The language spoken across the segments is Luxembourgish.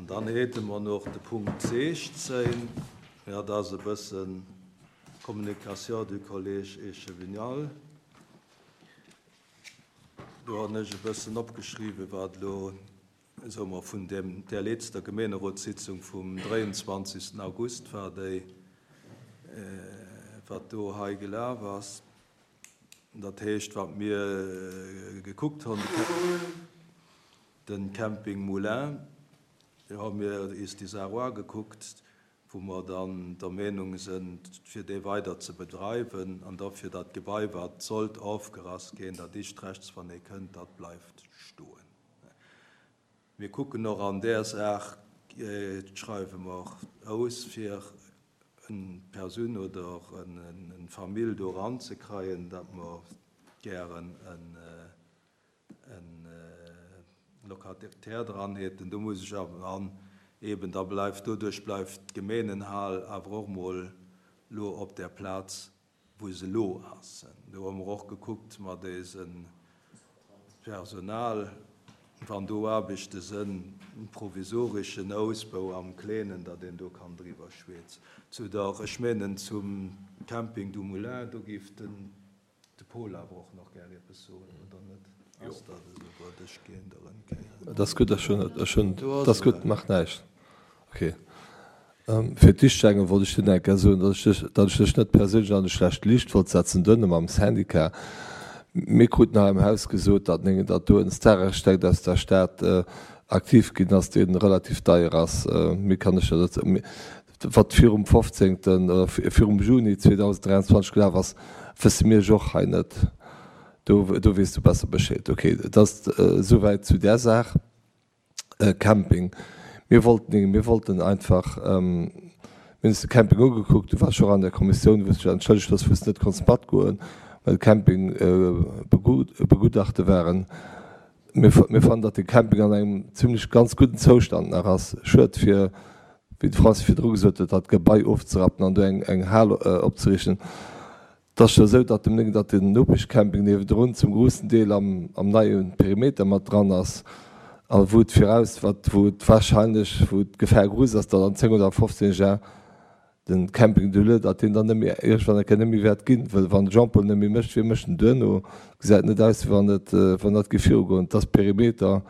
An dann hate mer noch de Punkt 16, jo, dat ass e bëssen Communication du Collège échevinal. Do hunn ech e bëssen opgeschriwwen, wat elo, soe mer, vun deem, där letzter Gemeenerotssitzung vum 23. August war, déi, wat do hei gelaf ass. Dat heescht, wat mir gekuckt hunn, de Camping Moulin, do hu mir is déi Saach uagekuckt, wou mer dann der Meenung sënn, fir dee weider ze bedreiwen an da fir dat Gebai, wat sollt ofgerass ginn, dat ischt rechts, wann ee kënnt, dat bleift stoen. Mir kucken och an där Saach, schreiwe mer aus, fir en Persoun oder en Famill do eranzekreien, datt mer gären en e Locataire dran hätten. Do muss ech awer an eben da bleift, doduerch bleift d'Gemeenenhal awer och mol lo op där Plaz wou se lo ass. Do hu mer och gekuckt mat eisem Personal, wann do Aarbechte sënn, provisoreschen Ausbau am Kleenen, datt een do kann driwwer schweezen. Zu der, ech menen zum Camping du Moulin, do géif den De Paul awer och nach gär eppes soen, oder net? Ass dat esou? Waart, ech ginn der en Kéier. Et ass gutt, ech hunn, ech hunn, et ass gutt, macht näischt. Ok. Fir d'éischt enge wollt ech dir nach eng Kéier soen, datt ech dech, datt ech dech net perséinlech an e schlecht Liicht wollt setzen, duerno mam Syndicat. Mir kruten hei am Haus gesot, datt, datt do en Stararchitekt aus der Stad aktiv ginn ass, dee relativ deier ass. Méi kann ech der dozou, Wat virum 15. Oder virum Juni 2023 gelaf ass, wësse mir ech och hei net. Do, do weess du besser Bescheed. Ok, et ass esouwäit zu där Saach. Camping, Mir wollten, mir wollten einfach, mir hunn eis de Camping ugekuckt, du waars jo och an der Kommissioun, wou s dech entschëllegt hues, wou s de net konns matgoen, well de Camping begutachte waren. Mir fannen, datt de Camping an engem zimlech ganz gudden Zoustand nach ass. Schued fir, wéi de Francis virdru gesot huet, dat Gebai ofzerappen an do eng Hal opzeriichten. Et ass jo esou, datt dem Néng, datt den Nopeschcamping niewendrun zum groussen Deel am neie Perimeter mat dran ass a wou et viraus, wat, wou et wahrscheinlech, wou d'Gefar grouss ass, datt an 10 oder 15 Jar Den Camping du Leu, datt deen dann net méi, iergendwann eng Kéier net méi wäert ginn, well wann de Jean-Paul net méi mécht, wie mécht en duerno? Gesäit net aus, wéi wann et, wann dat géif virugoen. Et ass Perimeter,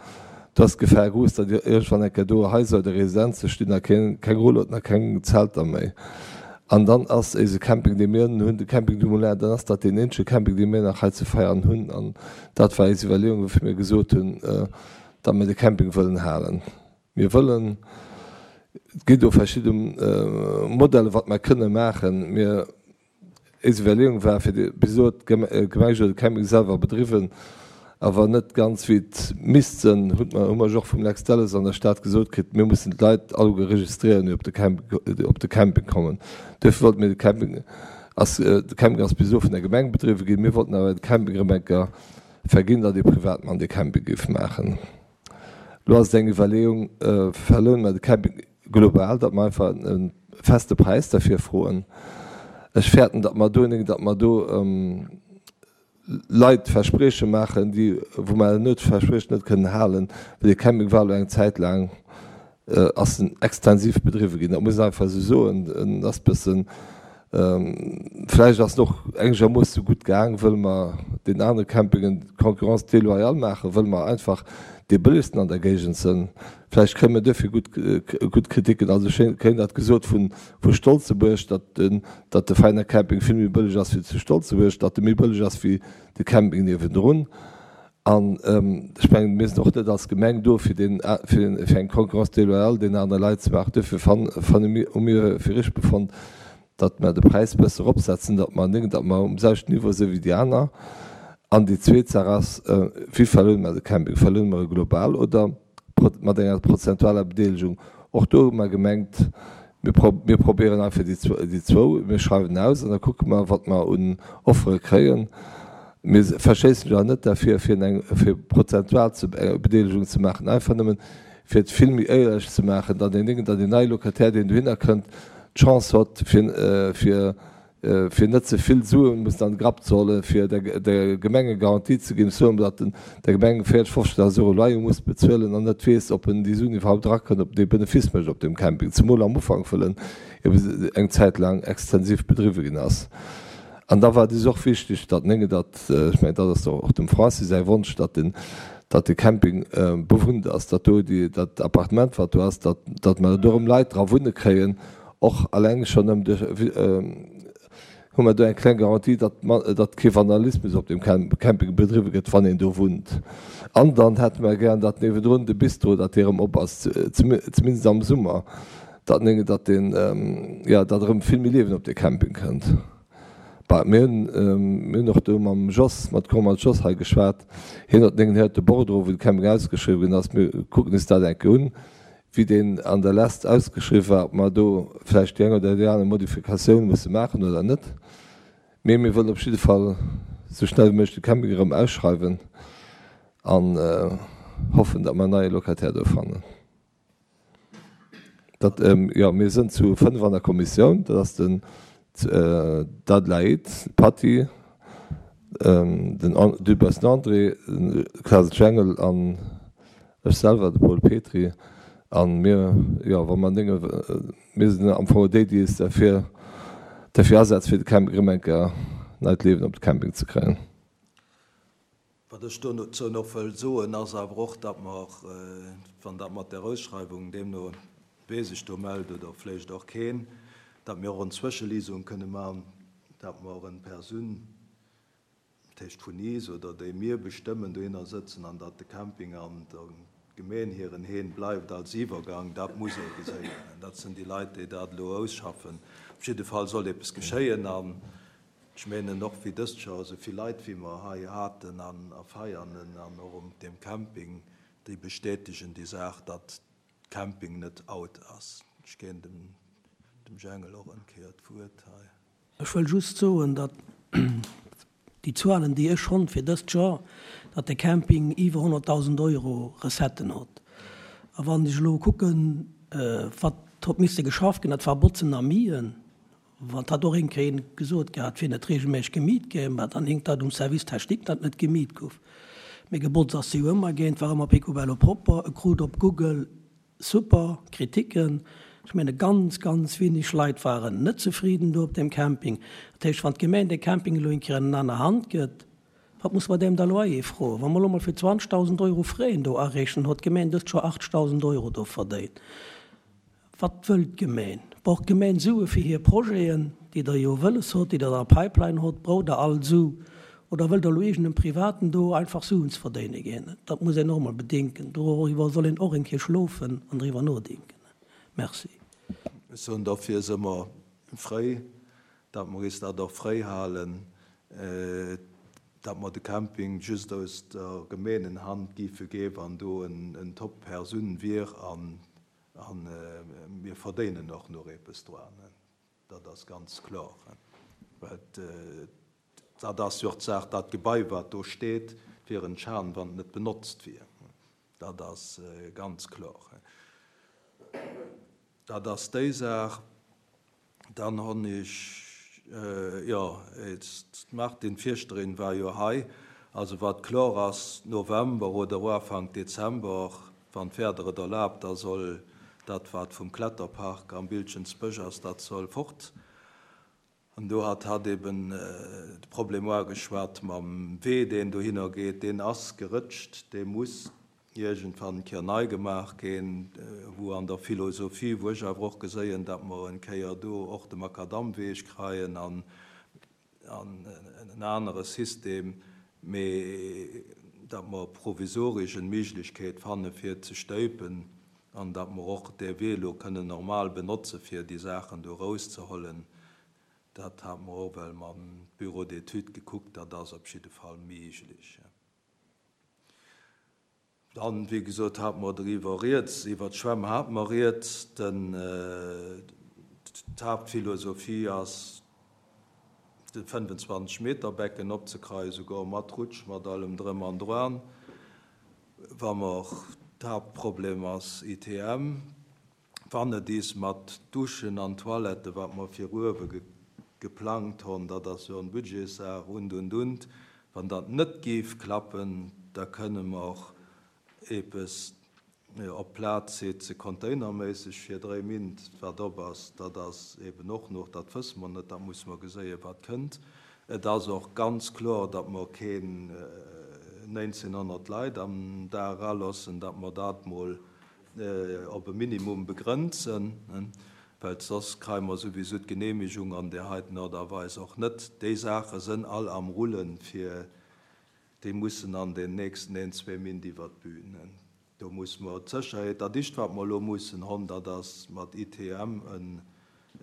do ass d'Gefahr grouss, datt iergendwann eng Kéier do Haiser oder Residenze stinn a keng, keng Rulloten a keng Zelter méi. An dann ass éise Camping, dee mir hunn, de Camping du Moulin, dann ass dat deen eenzege Camping, dee mir nach hei zu Veianen hunn. An dat war eis Iwwerleeung, woufir mir gesot hunn, datt mir de Camping wëllen halen. Mir wëllen, et ginn do verschidde Modellen, wat mer kënne maachen. Mir, eis Iwwerleeung war, fir de, bis elo huet d'Gemeng jo de Camping selwer bedriwwen, awer net ganz wéi et misst sënn, hutt mer, hu mer jo och vum Lex Delles an der Stad gesot kritt, mir mussen d'Leit alleguer registréieren, déi op de Camping, déi op de Camping kommen. Duerfir wollte mir de Camping, ass, de Camping ass bis elo vun der Gemeng bedriwwen ginn, mir wollten awer de Camping erëm eng Kéier verginn, datt ee Privatmann dee Camping géif maachen. Lo ass et eng Iwwerleeung, verlounen mer de Camping global, datt mer einfach e feste Präis derfir froen. Ech fäerten, datt mer do, datt mer do Leit Versprieche maachen, déi, wou mer herno d'Verspriechen net kënnen halen, well dee Camping war elo eng Zäit laang, ass en extensiv bedriwwe ginn. Dat muss een einfach esou soen. En ass bëssen, vläicht ass en och engermoosse sou gutt gaang, wëll mer den anere Campingen Concurrence déloyale maachen, wëll mer einfach dee bëllegsten an der Géigend sënn. Vläicht kréie mer duerfir gutt, gutt Kriticken. Also ech kréien dat gesot vu vu Stolzebuerg, datt den, datt de Veiner Camping vill méi bëlleg ass wéi zu Stolzebuerg, datt e méi bëlleg ass wéi de Camping niewendrun. An ech mengen, mir sinn och net als Gemeng do, fir deen, fir eng Concurrence déloyale deenen anere Leit ze maachen. Duerfir fanne mir, hu mir fir richtig befonnt, datt mer de Präis e bësse eropsetzen, datt mer net, datt mer um selwechten Niveau si wéi déi aner. An déi zweet Saach ass, Wéi verlounen mer de Camping? Verlounen mer e global oder mat enger prozentualer Bedeelegung? Och do hu mer gemengt, mir mir probéieren einfach déi déi zwou, mir schreiwen aus an da kucke mer, wat mer un Offere kréien. Mir verschéissen jo net derfir, fir eng fir prozentual ze Bedeelegung ze maachen, einfach nëmmen, fir et vill méi éierlech ze maachen, datt een Déngen, datt een neie Locataire, deen dohinner kënnt, d'Chance hott, fir fir. fir net ze vill Sue mussen an de Grapp ze hollen, fir der Gemeng eng Garantie ze ginn, soen, datt en der Gemeng 40, 50.000 Euro Loyer muss bezuelen an net weess, ob en déi Suen iwwerhaupt erakënnt, ob en dee Benefice mécht op deem Camping, zemol am Ufank, wëll en ebe eng Zäit laang extensiv bedriwwe ginn ass. An da war et eis och wichteg, datt nénge, datt, ech mengen, dat ass och dem Francis säi Wonsch, datt den, datt de Camping bewunnt ass, datt do déi, dat Appartement, wat do ass, datt, datt mer do erëm Leit dra wunne kréien, Och alleng schonn ëm de hu mer do eng kleng Garantie, datt datt kee Vandalismus op deem Camping bedriwwe gëtt, wann een do wunnt. An dann hätte mer gären, datt niewendrun de Bistro, datt dee erëm op ass, zumindest am Summer, datt datt deen, jo, datt erëm vill méi Liewen op dee Camping kënnt. Bah, mir hunn, mir hunn och do mam Jos, mat Comal Jos hei geschwat. Hien huet hien huet de Bordereau, wou de Camping ausgeschriwwen ginn ass. Mir kucken is dat eng Kéier un. wéi deen an der Lest ausgeschriww war, ob mer do vläicht déi eng oder déi aner Modifikatioun musse maachen oder net. Mee mir wëllen op jidde Fall esou schnell wéi méiglech de Camping erëm ausschreiwen an hoffen, datt mer en neie Locataire do fannen. Dat, jo, mir sënn zu 5 an der Kommissioun, dat ass den d'Adelaide, d'Patty, den Dübbers André, de Klaas Jengel an Ech selwer, de Paul Petry, a mir, jo, wa mer Dénge, mir sinn am Fong déi, déi is derfir, derfir asetze fir de Camping erëm eng Kéier neit Liewen op de Camping ze kréien. Wat ech dozou nach wëll soen, ass awer och, datt mer, wann dat mat där Ausschreiwung deemno wee sech do mellt oder vléicht och keen, datt mir och en Zwëscheliesung kënne man, datt mer en Persoun, dat heescht vun is oder déi mir bestëmmen, dohinner sëtzen an datt de Camping an der Gemeen hiren Heen bleift als Iwwergang, dat muss ee geséien. Dat sinn déi Leit, déi dat elo ausschaffen. Op jidde Fall soll eppes geschéien an ech menen och wéi dëst Joer, esou vill Leit wéi mer hei haten an a Veianen an och um deem Camping, déi bestätegen déi Saach, datt Camping net out ass. Ech ginn dem dem Jengel och en Kéier d'Wuert hei. Ech wëll just soen, datt déi Zuelen, déi ech honn fir dëst Joer, datt de Camping iwwer 100.000 Euro Recetten hott. A wann ech elo kucken, wat hott misse geschafft ginn, dat war Botzen a Mien, wat hat och een Kéier een gesot gehat, wier net regelméisseg gemiet ginn, mä dann hinkt dat um Service technique, datt net gemiet guff. Mee gebotzt ass se jo ëmmer ginn, et war ëmmer picobello propper, e krut op Google super Kritiken. Ech menge ganz, ganz wenig Leit waren net zefriden do op deem Camping. Dat heescht, wann d'Gemeng dee Camping elo eng Kéier an en aner Hand gëtt, wat muss mer deem da Loyer froen? Wa mer elo mol fir 20.000 Euro Frais do areechen, huet d'Gemeng dëst Joer 80.000 Euro do verdéint. Wat wëll d'Gemeen? Brauch d'Gemeen Sue fir hir Projeten, déi Der jo wëlles hott, déi Der an der Pipeline hott? Braucht Der all Su? Oder wëllt Der elo iergendem Privaten do einfach Suen ze verdéine ginn? Dat muss een och emol bedinken. Doriwwer soll een och eng Kéier schlofen an driwwer nodenken. Merci. Ech soen dofir si mer fréi, datt mer is dat och fréi halen, datt mer de Camping just aus der Gemeenenhand géife ginn, wann do en Top-Persoun wier an A mir verdéinen och nach eppes dran, dat ass ganz kloer. Well dat ass jo och d'Saach, dat Gebai, wat do steet, wier en Schan, wann et net benotzt wier. Dat ass ganz kloer. Dat ass déi Saach. Dann hunn ech, jo, d'Martine Fierschterin war jo hei. Also wat kloer ass, November oder Uafank Dezember, wann d'Wieder et erlaabt, da soll dat, wat vum Kletterpark am Biltgensbësch ass, dat soll fort. An do hat hatt eben de Problem uageschwat mam Wee, deen dohinner geet. Deen ass gerëtscht, dee muss iergendwann en Kéier nei gemaach ginn, wou an der Philosophie, wou ech awer och geséien, datt mer en Kéier do och de Makadamweg kreien an en anere System, mee datt mer provisorisch en Méiglechkeet fanne fir ze stéipen an datt mer och dee Wee elo kënnen normal benotze fir déi Saachen do erauszehollen. Dat hate mer och well mam Bureau d'études gekuckt, dat ass op jidde Fall méiglech. Dann, wéi gesot, hate mer driwwer rieds, iwwert d'Schwämm hate mer rieds. Den, d'Haaptphilosophie ass, de 25 Meter Becken opzekreien, souguer mat Rutsch, mat allem Drëm an Dran. Wa mer, d'Haaptproblem ass ITM, wann et is mat Duschen an Toiletten, wat mer fir uewe. geplangt hon, dat ass jo en Budgetssaach und, und, und. Wann dat net géif klappen, da kënne mer och eepes op d'Plaz setzen, containerméisseg fir dréi Mint, wat op ass. Dat ass eeben och nach, dat wësse mer net, dat musse mer geséien, wat kënnt. Et ass och ganz kloer, datt mer keen 1.900 Leit am Dag eralossen, datt mer dat mol op e Minimum begrenzen, well soss kreie mer souwisou d'Genehmigung an där heiten Aart a Weis och net. Déi Saache sënn all am Rullen, fir déi mussen an den nächsten een, zwee Mint iwwert d'Bühn. Do muss mer d'Sécherheet, dat ischt wat mer elo mussen honn, dat ass mat ITM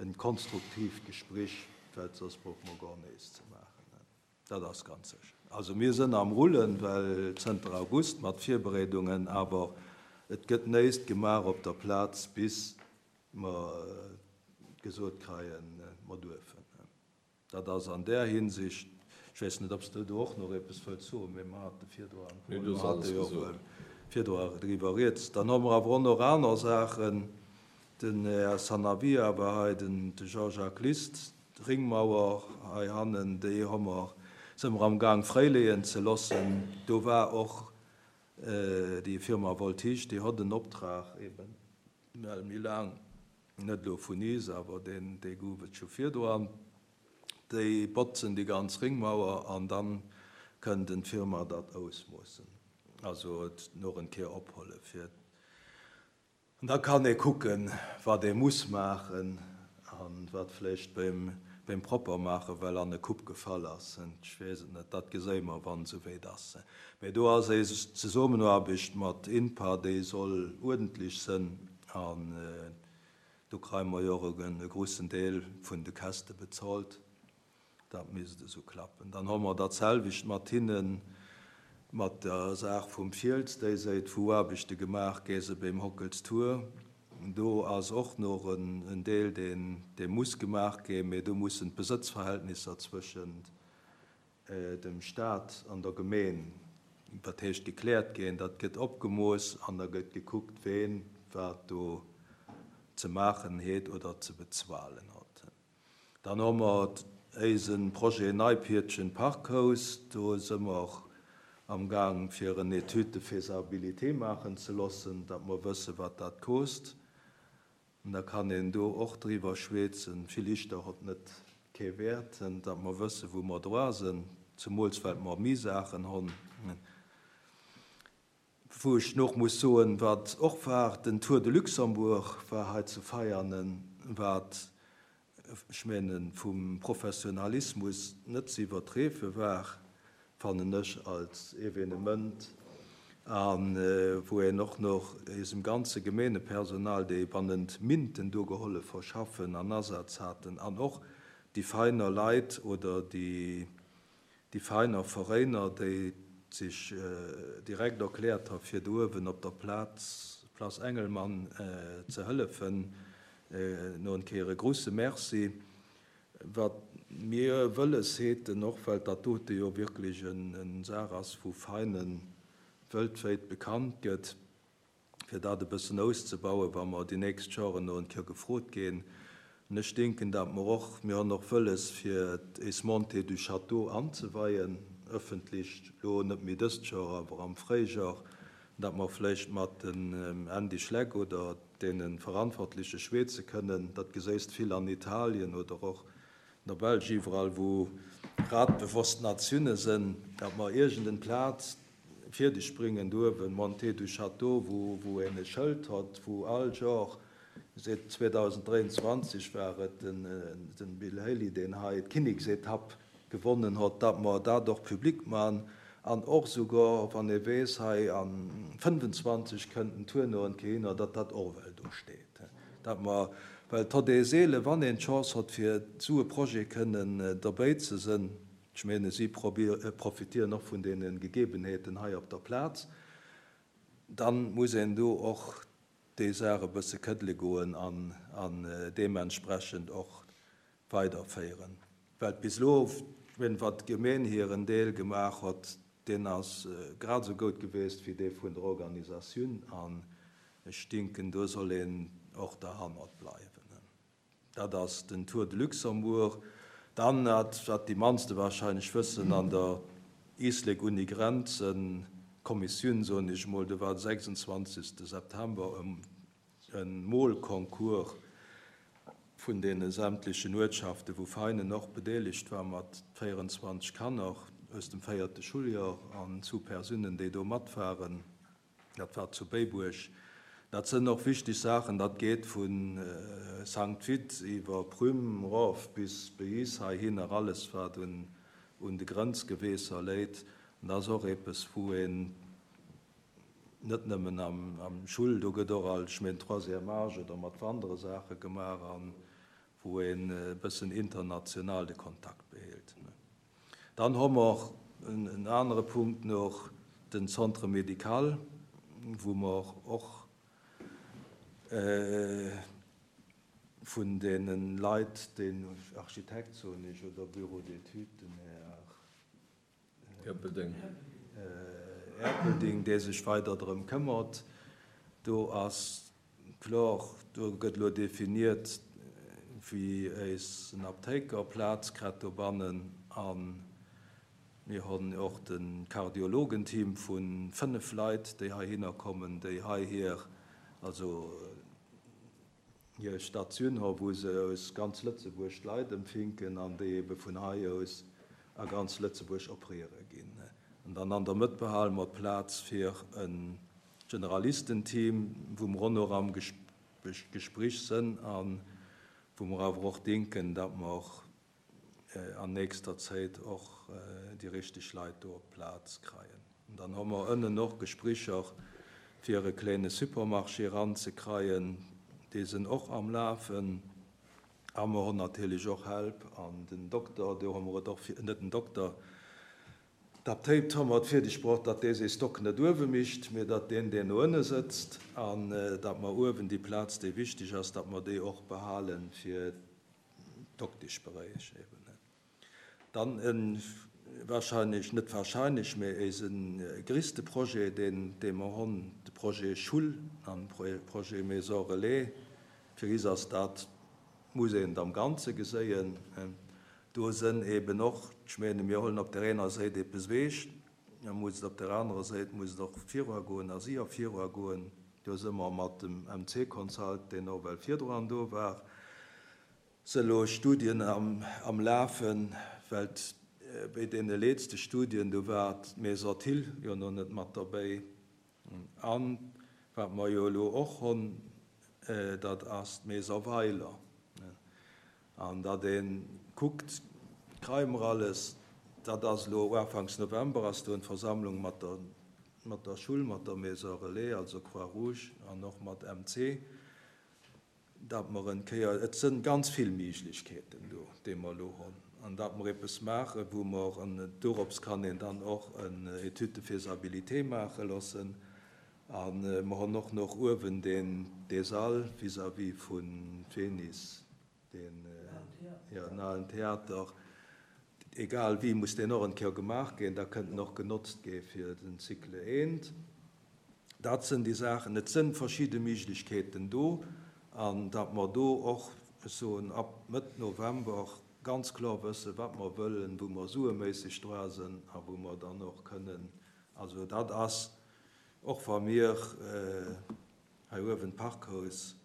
en konstruktiivt Gesprich, well soss brauche mer gor nees ze maachen. Dat ass ganz sécher. Also mir sënn am Rullen, well zënter August mat Virbereedungen, awer et gëtt néist gemaach op der Plaz bis mer gesot kreien, mer duerfen. Dat ass an där Hinsicht, ech weess net, ob s de do och nach eppes wëlls soen, mee mer hate virdru mer hate jo virdru driwwer rieds. Dann hu mer awer och nach aner Saachen. Den Här Sanavia war hei, den Jean-Jacques List, d'Ringmauer heihannen, déi hu mer, si mer amgaang fréileeën ze loossen. Do war och déi Firma Voltige, déi hott en Optrag eben well méi laang, net elo vun is, awer deen, dee gouf et scho virdru, déi botzen déi ganz Ringmauer an dann kënnt en d'Firma dat ausmoossen, also et noch en Kéier opholle fir, an da kann ee kucken, wat ee muss maachen an wat vläicht beim, beim Proppermaache well an e Kupp gefall ass. Ech weess et net, dat geséie mer, wann esou wéit ass. Mä do ass éis Zesummenaarbecht mat INPA, déi soll uerdentlech sënn an do kreie mer jo och e grussen Deel vun de Käschte bezolt. Dat misst esou klappen. Dann hu mer dat selwecht mat hinnen, mat der Saach vum Fiels, déi séit wou Aarbechte gemaach gä se beim Hockels Tour. Do ass och nach en Deel, deen dee muss gemaach ginn, mee do mussen d'Besëtzverhältnisser zwëschent dem Stat an der Gemeen, dat heescht gekläert ginn. Dat gëtt opgemooss an da gëtt gekuckt, ween wat do ze maachen heet oder ze bezualen hott. Dann hu mer éise Projet Neipiertchen Parkhaus. Do si mer am Gaang fir en Étude de faisabilité maachen ze loossen, datt mer wësse wat dat kost. An da kann een do och driwwer schweetzen, villichter hott net kee Wäert, datt mer wësse wou mer droa sënn, zemools well mer méi Saachen honn. Wou ech nach muss soen, wat och war, den Tour de Luxembourg war hei zu Veianen, wat, ech menen, vum Professionalismus net ze iwwertreefe war, fannen ech, als Evenement, a wou een och nach eisem ganze Gemeenepersonal, déi bannent Minten do gehollef verschaffen an Asaz haten, an och déi Veiner Leit oder déi Déi Vereiner, Veréiner, déi sech direkt erkläert ha fir do uewen op der Plaz, Place Engelmann, ze hëllefen, no en Kéier e grusse Merci. Wat mir wëlles heten, och well dat dote jo wierklech en Saach ass wou Veinen wëltwéit bekannt gëtt, fir dat e bëssen auszebauen, wa mer déi nächst Joren no en Kéier gefrot ginn. An ech denken, datt mer och, mir hunn och wëlles, fir éis Montée du Château anzeweien, ëffentlech, elo net méi dëst Joer, awer am Fréijor, datt mer vläicht mat dem Andy Schleck oder deene Verantwortleche schweeze kënnen. Dat geséist vill an Italien oder och an der Belsch, iwwerall wou radbewosst Natiounen sënn, datt mer iergend en Plaz fierdeg bringen do uewen, Montée du Château, wou wou een e Schëld hott, wou all Jor, seet 2023 war et den den Bill Haley, deen hei d'Kinneksetapp gewonnen hott, datt mer dat och public man an och souguer, wann ee weess, hei an 25 kënnt den Tour no en Kéier hinner, datt dat och ewell do steet, datt mer, well et hott ee seele wann een d'Chance hott fir esou e Projet kënnen derbéi ze sënn. Ech menen, si profitieren och vun deene Gegebenheeten hei op der Plaz. Dann muss een do och déi Saach e bësse këddele goen an deementsprechend och weiderféieren. Well bis elo, ech menen, wat d'Gemeen hiren Deel gemaach hott, deen ass grad esou goud geweest wéi dee vun der Organisatioun. An ech dinken, do soll een och derhannert bleiwen. Dat ass den Tour de Luxembourg. Dann, dat wat déi mannste wahrscheinlech wëssen, an der Islek Uni Grenzen Kommissioun, soen ech emol, do war de 26. September e Molconcours vun deene sämtlechen Uertschaften, wou Veinen och bedeelegt war mat 24 Kanner aus dem véierte Schuljoer an zu Persunnen, déi do matwaren. Dat war zu Béibuerg. Dat sënn och wichteg Saachen. Dat geet vu Sankt Vith iwwer Prüm erof bis Beis heihinner, alles wat un de Grenzgeweesser léit. An dat ass och eppes, wou een net nëmmen am Schull, do gëtt och alt, ech mengen, Troisième âge oder mat wandere Saache gemaach a wou een e bëssen international de Kontakt behélt. Dann hu mer en anere Punkt nach, den Centre médical, wou mer och vun deene Leit, den Architekt, soen ech, oder Bureau d'études, den Här Erpelding, dee sech weider drëm këmmert. Do ass kloer, do gëtt elo definiert, wéi éisen Aptéiker Plaz krätt dobannen. A mir hunn och de Kardiologenteam vu 5 Leit, déi heihinner kommen, déi hei hir, also hir Statioun hu wou se aus ganz Lëtzebuerg d'Leit empfinken an déi ebe vun hei aus a ganz Lëtzebuerg operiere ginn. An dann an der Mëtt behale mer d'Plaz fir e Generalistenteam, wou mer och nach am Gesprich sënn a wou mer awer och dinken, datt mer an nächster Zéit och déi richteg Leit do op d'Plaz kreien. An dann hu mer ënnen och Gespricher fir e kléine Supermarché eranzekreien, déi sinn och am Lafen. A mer hunn natierlech och Help an den Dokter, do hu mer et och, net den Dokter, d'Aptéit hu mer et fierdeg bruecht, datt dee séi Stock net uewe micht, mee datt deen, deen no ënne sëtzt, an datt mer uewen déi Plaz, déi wichteg ass, datt mer déi och behale fir d'Dokteschberéich eben. Dann e wahrscheinlech, net wahrscheinlech, mä éise gréisste Projet, deen, dee mer honn, de Projet Schull an Projet Maison Relais. Fir is ass dat, muss een et am Ganze geséien. Do sënn eben och, ech mene mir hollen op där eener Séit eppes ewech, da muss et op där anerer Séit muss et och viruagoen a si och viruagoen. Do së mer mat dem MC Consult, deen och well virdru do war, Se elo Studien am Lafen, well béi deene leetste Studien, do war d'Maison Thill jo no net mat derbéi. A wat mer jo elo och honn, dat ass d'Maison Weiler. An datt ee kuckt, kreie mer alles, dat ass elo uafanks November ass do eng Versammlung mat der, mat der Schull, mat der Maison Relais, also Croix-Rouge an och mat MC. datt mer en Kéier, et sënn ganz vill Miiglechkeeten do, déi mer elo honn, an datt mer eppes maachen, wou mer, an dorops kann een dann och en Étude de faisabilité maache loossen, a mer honn och noch uewen deen, dee Sall vis-à-vis vu Fenis, deen, jo, den alen Theater, egal wéi muss deen och en Kéier gemaach ginn, da kënnt en och genotzt gi fir den Cycle eent. Dat sënn déi Saachen. Et sënn verschidde Méiglechkeeten do, an datt mer do och, ech soen, ab Mëtt November ganz kloer wëssen, wat mer wëllen, wou mer sueméisseg dra sënn a wou mer dann och kënnen, also dat ass, och wa mir hei uewen d'Parkhaus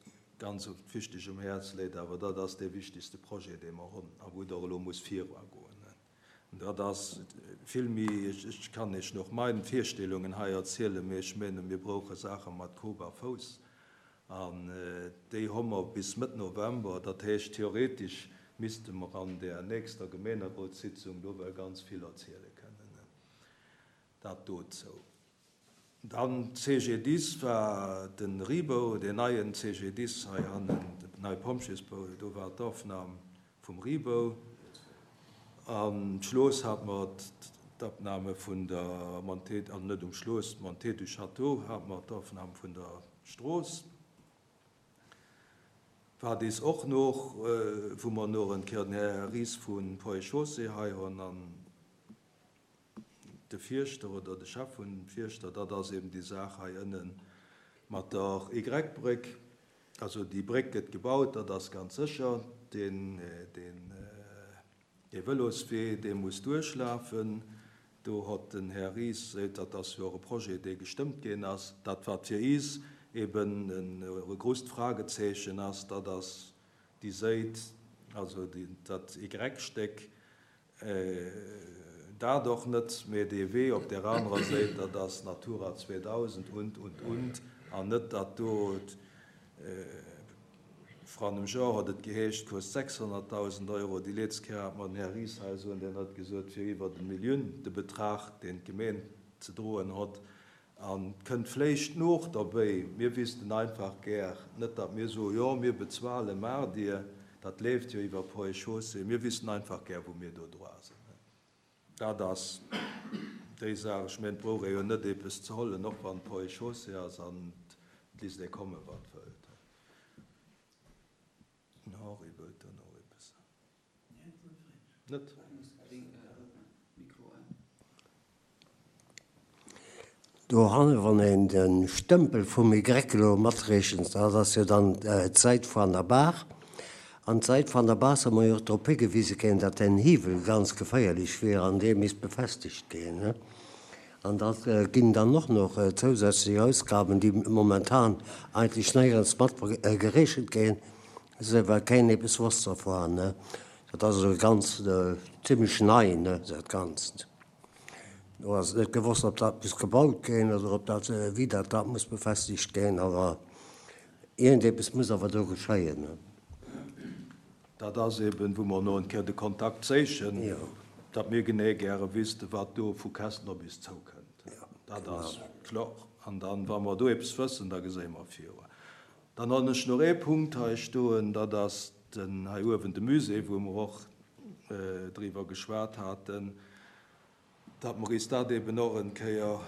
ganz wichteg um Häerz léit, awer dat ass dee wichtigste Projet, dee mer hunn a wou et och elo muss viruagoen. Dat ass vill méi, ech kann Iech noch mein Virstellungen hei erzielen, mee ech menen, mir brauche Saache mat Kop a Fouss, an déi hu mer bis Mëtt November. Dat heescht, theoretisch misste mer an där nächster Gemeenerotssitzung do well ganz vill erziele kënnen. Dat dozou. Dann CGDIS war den Ribou, deen neien CGDIS hei hannen, den neie Pompjeesbou, do war d'Aufnam vum Ribou. Am Schloos hat mer d'Abnahme vun der Montée, also net um Schloos, d'Montée du Château hat mer d'Aufnam vun der Strooss. Wat is och noch, wou mer noch en Kéier den Här Ries vu Ponts et Chaussées hei hunn an de Fierschter oder de Chef vun dem Fierschter, dat ass eben déi Saach hei ënne mat der Y-Bréck. Also déi Bréck gëtt gebaut, dat ass ganz sécher. Deen, deen. Dee Vëloswee, dee muss duerchlafen. Do hott den Här Ries seet, dat ass jo och e Projet, dee gestëmmt ginn ass. Dat, wat fir is eben e grousst Fragezeechen ass, dat ass déi Séit, also dat Y-Stéck, dat och net, mee dee Wee op där anerer Séit, dat ass Natura 2000 und, und, und, an net dat do. Vrun engem Joer huet et geheescht, kost 600.000 Euro. Déi leetzt Kéier hat mer den Här Ries hei soen, deen huet gesot, et wier iwwert e Milliunn de Betrag, deen d'Gemeen ze droen hott. An et kënnt vléicht nooch derbéi, mir wissten einfach gär, net datt mir soen, jo mir bezuelen, maacht Dir, dat leeft jo iwwer Ponts et Chaussées, mir wissten einfach gär, wou mir do droit sinn. Dat ass déi Saach. Ech mengen, et brauch ee jo net eepes ze hollen, och wann et Ponts et Chaussées ass an et lisst ee komme wat wëllt. Den Henri wëllt dann och eepes soen. Net? Dohanne wann een de Stëmpel vum Y elo matrechent, dat ass jo dann d'Säit van der Baach. An d'Säit van der Baach soll mer jo och drop higewise ginn, datt den Hiwwel ganz geféierlech wier an dee misst befestegt ginn. An dat ginn dann och nach zousätzlech Ausgaben, déi momentan eigentlech néierens mat gerechent ginn, esou well keen eppes wosst dervan. Dat ass elo ganz zimlech nei, dat Ganzt. Do ass et net gewosst, ob dat muss gebaut ginn oder ob dat, wéi dat dat muss befestegt ginn, awer iergendepes muss awer do geschéien. Dat ass eben, wou mer no en Kéier de Kontakt séichen, datt mir genee gäre wüssten, wat do vu Kästen op is zoukënnt. Dat ass kloer. An dann, wa mer do eppes wëssen, da geséi mer viru. Dann hunn ech nach ee Punkt hei stoen, dat ass den hei uewen de Musée, wou mer och driwwer geschwat haten, datt mer is dat eben och en Kéier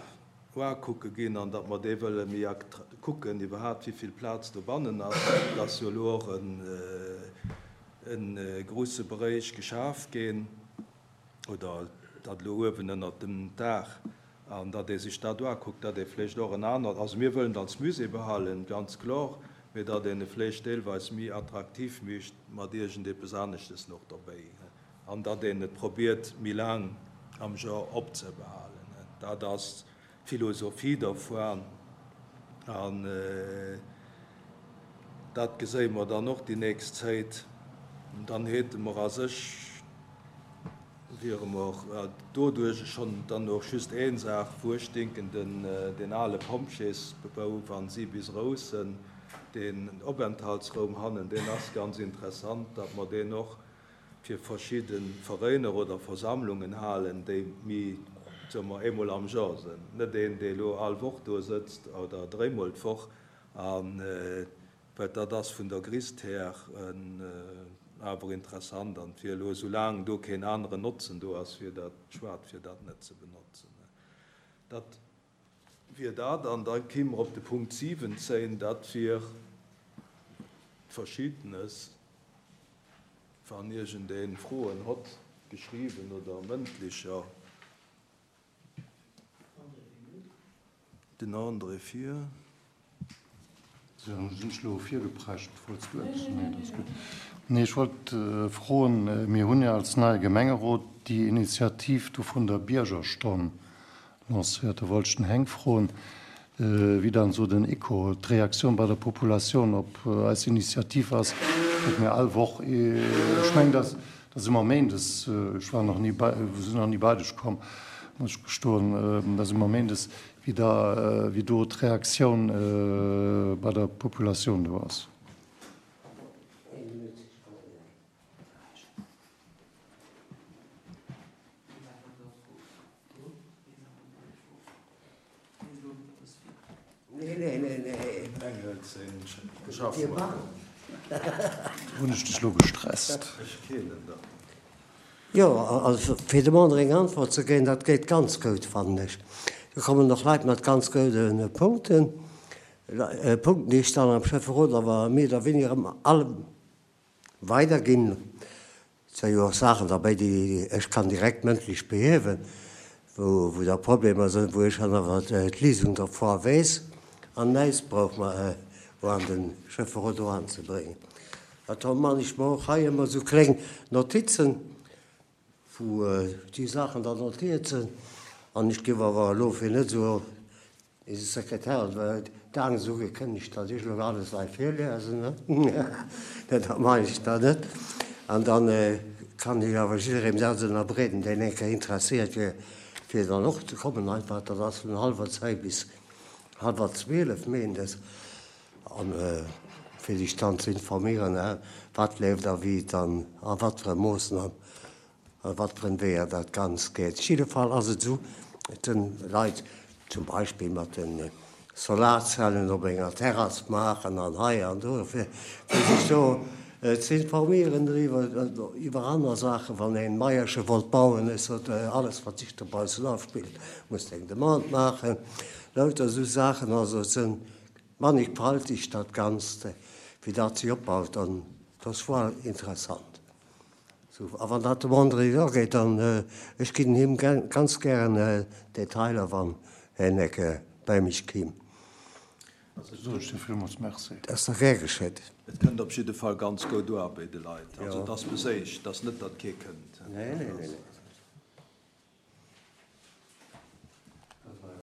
uakucke ginn an datt mer dee wëlle méi kucken iwwerhaapt, wivill Plaz dobannen ass. Et ass jo elo och e grouse Beréich geschaf ginn, oder datt elo uewen ënnert dem Daach, an datt ee sech dat uakuckt, datt ee vläicht och en anert, also mir wëllen et als Musée behalen, ganz kloer, mee datt een e vläicht deelweis méi attraktiv mécht mat iergendepes aneschtes nach derbäi an datt een et probiert méi laang am Joer opzebehalen. Dat ass d'Philosophie dervuan an dat geséie mer dann och déi nächst Zéit. Dann hate mer a sech, wiere mer doduerch schonn dann och just een Saach, wou ech denken, den ale Pompjeesbebou, wa si bis roussen, deen Openthaltsraum hannen, deen ass ganz interessant, datt mer deen och fir verschidde Veréiner oder Versammlungen halen, déi méi, soe mer, eemol am Joer sinn. Net een, dee elo all Woch do sëtzt oder dréimol d'Woch. A well dat ass vun der Grisst här awer interessant. An et wier elo, soulaang do keen aneren Notzen do ass, wier dat schued, fir dat net ze benotzen. Dat wier dat. An da kéime mer op de Punkt 17, dat wier Verschiddenes. Wann iergendeen Froen hott, geschriwwen oder mëndlicher. Den André vir. Sou, sinn ech elo virgeprescht? Wollts du eppes? Nee, dat ass gutt. Nee, ech wollt froen, mir hunn jo als neie Gemengerot déi Initiativ do vun der Biergerstonn lancéiert. Do wollt ech den Heng froen, wéi dann esou den Echo, d'Reaktioun bei der Populatioun op eis Initiativ ass, datt mir all Woch, ech mengen, datt ass ëmmer méindes, ech war nach ni bei, sinn nach ni bei dech komm, muss ech gestoen, dat ass ëmmer méindes, wéi da, wéi do d'Reaktioun bei der Populatioun do ass. Hunn ech dech lo gestresst? Jo, also fir dem André eng Antwort ze ginn, dat geet ganz goud, fannen ech. Do kommen och Leit mat ganz goude Punkten, Punkten, déi ech dann am Schäfferot awer méi oder weniger erëm all weiderginn. Et si jo och Saachen derbäi, déi ech kann direkt mëndlech behiewen, wou da Problemer sinn, wou ech dann awer d'Léisung dervor weess an näischt brauch mer an de Schäfferot eranzebréngen. Dat man ech mer och hei ëmmer esou kléng Notizen. Wou déi Saachen dann notiert sinn. An ech géif awer elo, fir net esou eise Sekretär huet d'Angscht ugekënnegt, datt ech elo alles hei virliesen, ne, dat maachen ech dann net. An da kann ech awer jidderee dat ënnerbreeden, deen eng Kéier interesséiert wier, fir dann och ze kommen. Einfach, dat ass vun hallwer 10 bis hallwer 12 méindes. An fir sech dann ze informéieren, wat leeft a wéi et an a wat fir e Moossen an a wat fir en Weeër dat Ganzt geet. Op jidde Fall ass et esou, et sinn Leit zum Beispill mat de Solarzellen op enger Terrass maachen an hei an do, fir sech do ze informéieren driwwer, iwwer aner Saachen, wann een Maierche wollt bauen, ech sot, alles wat sech dobaussen afspillt, muss eng Demande maachen, lauter esou Saachen. Also et sinn Mannigfaltig dat Ganzt, wéi dat sech opbaut, an dass war interessant. Sou, a wann dat dem André ageet, dann, ech ginn him ganz gären Detailer, wann hien ecke bäi mech kimm. Da soen ech dir villmools Merci. Dat ass da gär geschétt. Et kënnt op jidde Fall ganz goud u bei de Leit. Also et ass beséicht, et ass net, datt kee kënnt. Nee, nee, nee, nee.